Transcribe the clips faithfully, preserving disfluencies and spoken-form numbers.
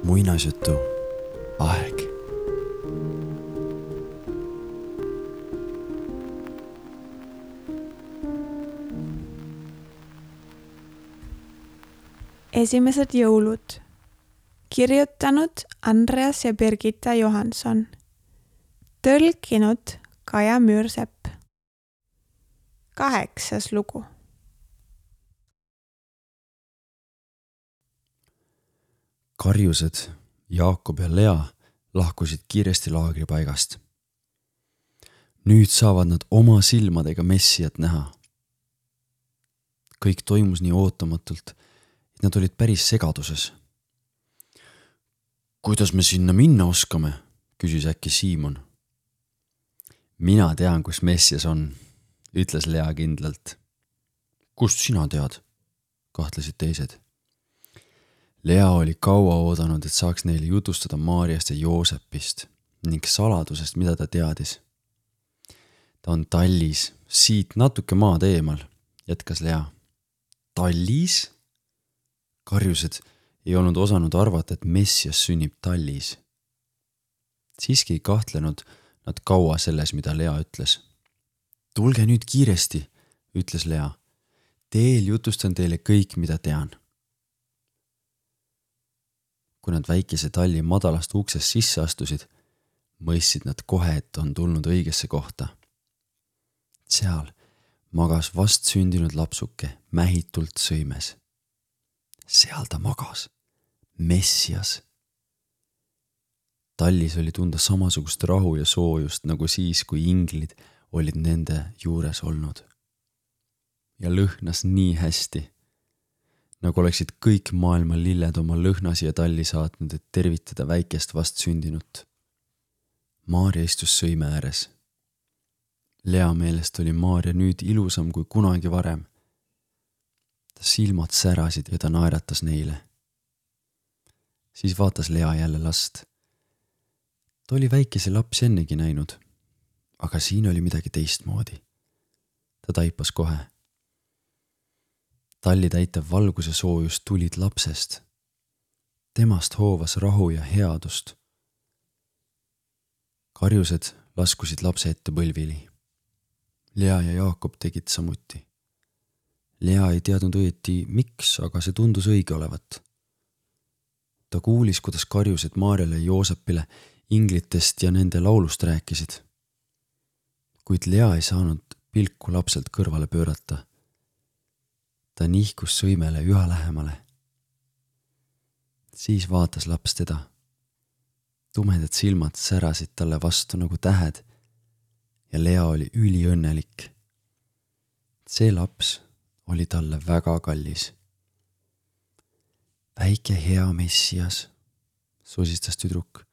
muinasjutu aeg. Esimesed jõulud. Kirjutanud Andreas ja Birgitta Johansson. Tõlkinud Kaja Müürsepp. Kaheksas lugu. Karjused, Jaakob ja Lea lahkusid kiiresti laagripaigast. Nüüd saavad nad oma silmadega Messiat näha. Kõik toimus nii ootamatult, et nad olid päris segaduses. Kuidas me sinna minna oskame, küsis äkki Siimon. Mina tean, kus Messias on, ütles Lea kindlalt. Kust sina tead, kahtlesid teised. Lea oli kaua oodanud, et saaks neile jutustada Maariast ja Joosepist ning saladusest, mida ta teadis. Ta on tallis, siit natuke maad eemal, jätkas Lea. Tallis? Karjused ei olnud osanud arvata, et Messias sünnib tallis. Siiski ei kahtlenud nad kaua selles, mida Lea ütles. Tulge nüüd kiiresti, ütles Lea. Teel jutustan teile kõik, mida tean. Kui nad väikese talli madalast uksest sisse astusid, mõistsid nad kohe, et on tulnud õigesse kohta. Seal magas vast sündinud lapsuke mähitult sõimes. Seal ta magas, Messias. Tallis oli tunda samasugust rahu ja soojust, nagu siis, kui inglid olid nende juures olnud. Ja lõhnas nii hästi, nagu oleksid kõik maailma lilled oma lõhna siia talli saatnud, et tervitada väikest vast sündinut. Maaria istus sõime ääres. Lea meelest oli Maaria nüüd ilusam kui kunagi varem. Ta silmad särasid ja ta naeratas neile. Siis vaatas Lea jälle last. Ta oli väikese lapsi ennegi näinud, aga siin oli midagi teistmoodi. Ta taipas kohe. Talli täitev valguse soojus tulid lapsest. Temast hoovas rahu ja headust. Karjused laskusid lapse ette põlvili. Lea ja Jaakob tegid samuti. Lea ei teadnud õieti miks, aga see tundus õige olevat. Ta kuulis, kuidas Karjused Maarjale ja Joosepile inglitest ja nende laulust rääkisid. Kuid Lea ei saanud pilku lapselt kõrvale pöörata. Ta nihkus sõimele üha lähemale. Siis vaatas laps teda. Tumedad silmad särasid talle vastu nagu tähed ja Lea oli üliõnnelik. See laps oli talle väga kallis. Väike hea Messias, sosistas tüdruk.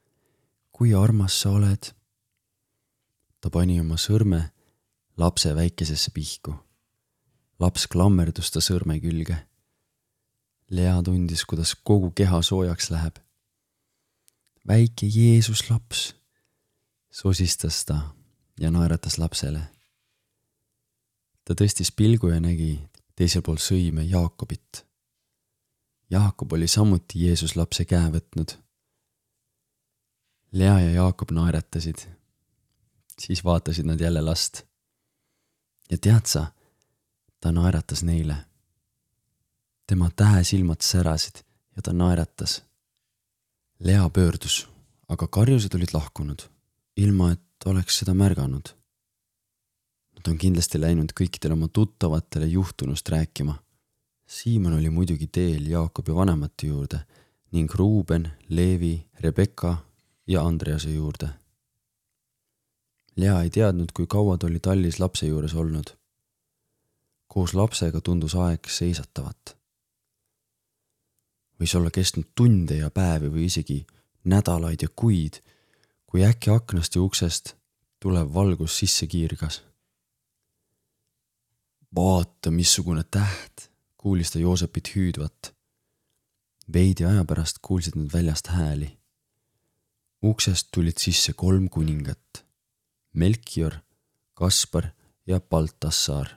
Kui armas sa oled? Ta pani oma sõrme lapse väikesesse pihku. Laps klammerdus ta sõrme külge. Lea tundis, kuidas kogu keha soojaks läheb. Väike Jeesus laps, sosistas ta ja naeratas lapsele. Ta tõstis pilgu ja nägi teisel pool sõime Jaakobit. Jaakob oli samuti Jeesus lapse käe võtnud. Lea ja Jaakob naeratasid. Siis vaatasid nad jälle last. Ja tead sa, ta naeratas neile. Tema tähesilmad särasid ja ta naeratas. Lea pöördus, aga Karjused olid lahkunud, ilma et oleks seda märganud. Nad on kindlasti läinud kõikidele oma tuttavatele juhtunust rääkima. Siimon oli muidugi teel Jaakobi vanemate juurde ning Ruuben, Leevi, Rebekka ja Andrease juurde. Lea ei teadnud, kui kaua ta oli tallis lapse juures olnud. Koos lapsega tundus aeg seisatavat. Võis olla kestnud tunde ja päevi või isegi nädalaid ja kuid, kui äkki aknast ja uksest tulev valgus sisse kiirgas. Vaata, missugune täht, kuulis ta Joosepit hüüdvat. Veidi aja pärast kuulsid nad väljast hääli. Uksest tulid sisse kolm kuningat. Melchior, Kaspar ja Baltassar.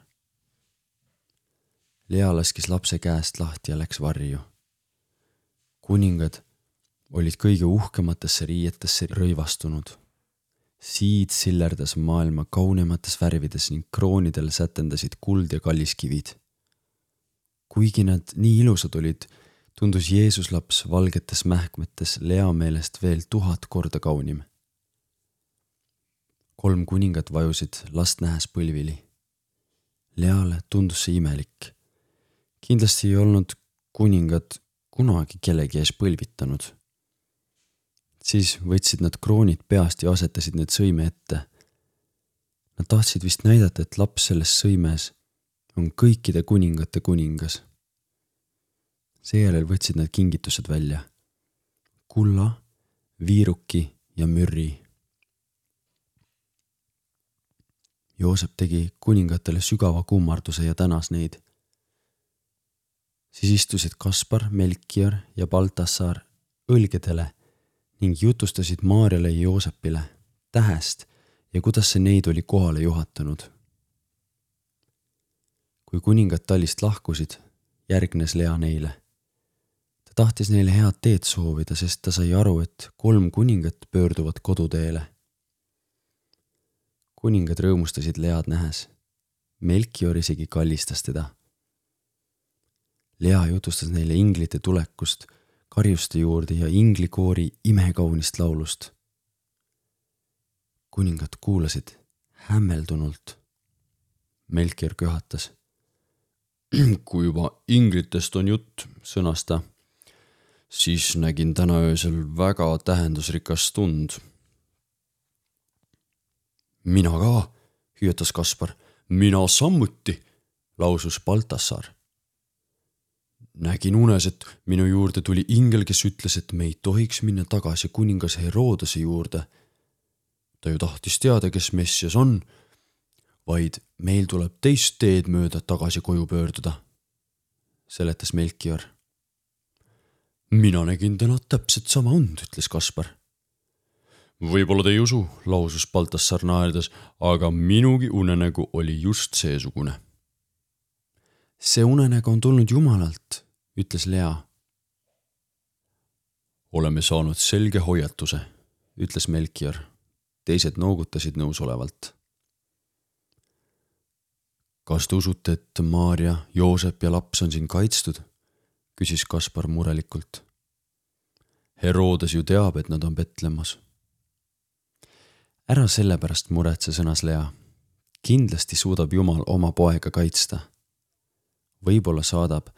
Lea laskis lapse käest lahti ja läks varju. Kuningad olid kõige uhkematesse riietesse rõivastunud. Siid sillerdas maailma kaunemates värvides ning kroonidel sätendasid kuld ja kalliskivid. Kuigi nad nii ilusad olid, tundus Jeesus laps valgetes mähkmetes Lea meelest veel tuhat korda kaunim. Kolm kuningat vajusid last nähes põlvili. Leale tundus see imelik. Kindlasti ei olnud kuningad kunagi kellegi ees põlvitanud. Siis võtsid nad kroonid peast ja asetasid need sõime ette. Nad tahtsid vist näidata, et laps selles sõimes on kõikide kuningate kuningas. Seejärel võtsid nad kingitused välja. Kulla, viiruki ja mürri. Joosep tegi kuningatele sügava kummarduse ja tänas neid. Siis istusid Kaspar, Melchior ja Baltassar õlgedele ning jutustasid Maarjale ja Joosepile tähest ja kuidas see neid oli kohale juhatanud. Kui kuningad tallist lahkusid, järgnes Lea neile. Ta tahtis neile head teed soovida, sest ta sai aru, et kolm kuningat pöörduvad koduteele. Kuningad rõõmustasid Lead nähes. Melchior isegi kallistas teda. Lea jutustas neile inglite tulekust, karjuste juurde ja inglikoori imekaunist laulust. Kuningad kuulasid hämmeldunult. Melchior köhatas. Kui juba inglitest on jutt, sõnas ta, siis nägin täna öösel väga tähendusrikas tund. Mina ka, hüüatas Kaspar. Mina samuti, lausus Baltassar. Nägin unes, et minu juurde tuli ingel, kes ütles, et me ei tohiks minna tagasi kuningas Herodese juurde. Ta ju tahtis teada, kes Messias on, vaid meil tuleb teist teed mööda tagasi koju pöörduda, seletas Melchior. Mina nägin täna täpselt sama und, ütles Kaspar. Võib-olla te ei usu, lausus Baltassar naerdes, aga minugi unenägu oli just seesugune. See unenägu on tulnud Jumalalt, ütles Lea. Oleme saanud selge hoiatuse, ütles Melchior. Teised noogutasid nõusolevalt. Kas te usute, et Maarja, Joosep ja laps on siin kaitstud? Küsis Kaspar murelikult. Herodes ju teab, et nad on Betlemas. Ära sellepärast muretse, sõnas Lea. Kindlasti suudab Jumal oma poega kaitsta. Võib-olla saadab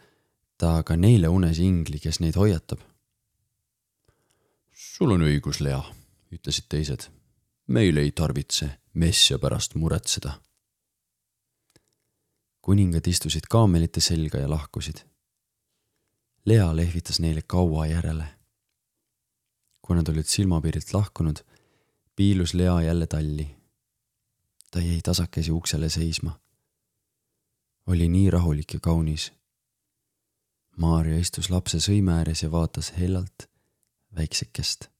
ta ka neile unes ingli, kes neid hoiatab. Sul on õigus, Lea, ütlesid teised. Meil ei tarvitse Messia pärast muretseda. Kuningad istusid kaamelite selga ja lahkusid. Lea lehvitas neile kaua järele. Kui nad olid silmapiirilt lahkunud, piilus Lea jälle talli. Ta jäi tasakesi uksele seisma. Oli nii rahulik ja kaunis. Maarja istus lapse sõime ääres ja vaatas hellalt väiksekest.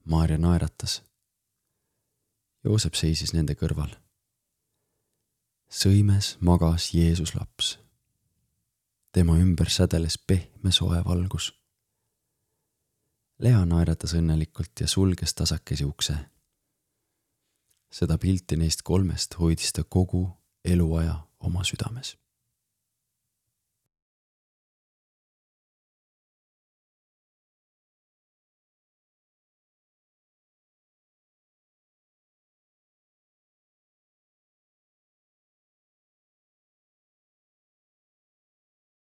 Maarja naeratas. Joosep seisis nende kõrval. Sõimes magas Jeesus laps. Tema ümber sädeles pehme soe valgus. Lea naeratas õnnelikult ja sulges tasakesi ukse. Seda pilti neist kolmest hoidis ta kogu eluaja oma südames.